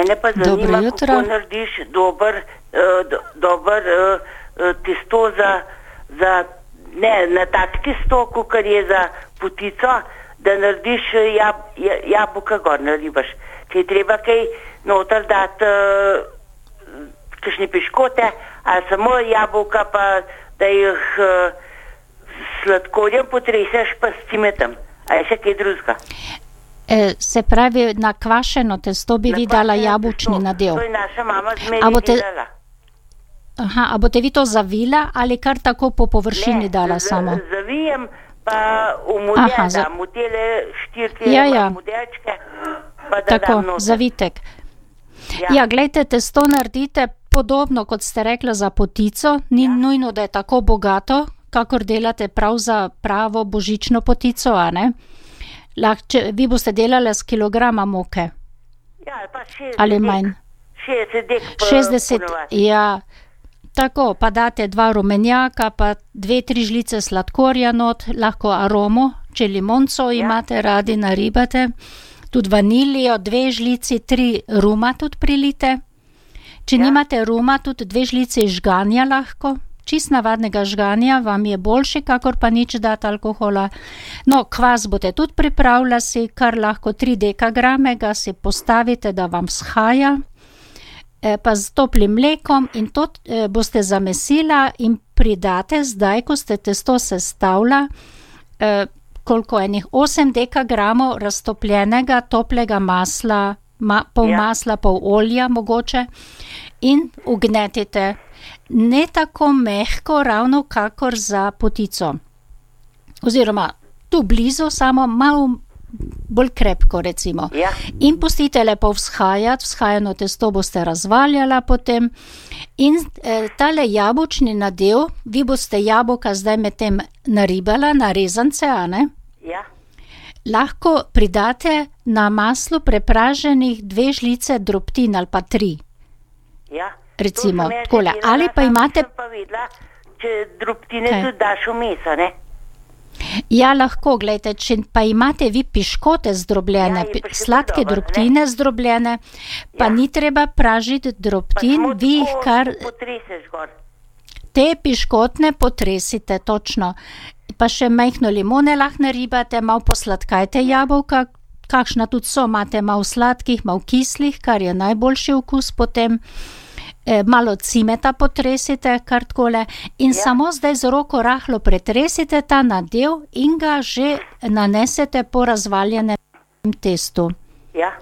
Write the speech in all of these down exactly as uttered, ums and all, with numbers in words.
Mene pa Dobro zanima, jutro. kako narediš dober, uh, do, dober uh, uh, testo za, za, ne, na tak testo, kakor je za potico, da narediš uh, jab, jabolka gor naribaš. Če je treba kaj noter dati, uh, kakšne piškote, ali samo jabolka, pa da jih uh, sladkorjem potreseš, pa s cimetom. A je še kaj drugega? E, se pravi, na kvašeno testo bi Na vi dala kvašeno jabolčni testo. nadev. To je naša mama A zmeraj boste- delala. Aha, a boste vi to zavila ali kar tako po površini dala z- samo? Zavijem, pa v model Aha, za- dam, v tele štiri Ja, ja. modelčke, pa da Tako, dam noter. zavitek. Ja. Ja, glejte, testo naredite podobno, kot ste rekla, za potico. Ni Ja. nujno, da je tako bogato, kakor delate prav za pravo božično potico, a ne? Lahko, če vi boste delali s kilograma moke Ja, pa šestdeset ali dek. manj. šestdeset dek pa šestdeset, ponavadi. ja. Tako, pa date dva rumenjaka, pa dve, tri žlice sladkorja not, lahko aromo, če limonco imate radi, naribate. Tudi vanilijo, dve žlici, tri ruma tudi prilite. Če Ja. nimate ruma, tudi dve žlici žganja lahko. Čist navadnega žganja vam je boljši, kakor pa nič dati alkohola. No, kvas boste tudi pripravila si, kar lahko tri dekagrame ga si postavite, da vam shaja, e, pa z toplim mlekom in to e, boste zamesila in pridate zdaj, ko ste testo sestavila, e, koliko enih osem dekagramov raztopljenega toplega masla, ma, pol Ja. masla, pol olja mogoče in ugnetite. Ne tako mehko, ravno kakor za potico. Oziroma, tu blizu, samo malo bolj krepko, recimo. Ja. In pustite lepo vzhajati, vzhajano testo boste razvaljala potem. In eh, tale jabolčni nadev, vi boste jabolka zdaj medtem naribala na rezance, a ne? Ja. Lahko pridate na maslu prepraženih dve žlice drobtin ali pa tri. Ja. Recimo, To sem jaz že takole. delala, Ali pa samo imate- sem pa vedela, če drobtine Kaj? tudi daš vmes, a ne? Ja, lahko, gledajte, če pa imate vi piškote zdrobljene, Ja, je pi- pa še sladke dobro, ne? drobtine zdrobljene, pa Ja. ni treba pražiti Pa drobtin, samo vi jih tako kar potreseš gor. te piškotne potresite, točno. Pa še majhno limone lahko naribate, malo posladkajte jabolka, kakšna tudi so, imate malo sladkih, malo kislih, kar je najboljši okus potem. E, malo cimeta potresite, kar takole, in Ja. samo zdaj z roko rahlo pretresite ta nadev in ga že nanesete po razvaljenem testu. Ja.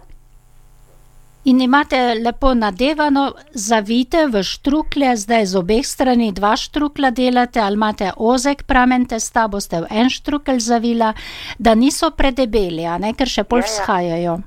In imate lepo nadevano, zavijte v štruklje, zdaj z obeh strani dva štrukla delate, ali imate ozek pramen testa, boste v en štrukelj zavila, da niso predebeli, a ne, ker še pol Ja, ja. vzhajajo.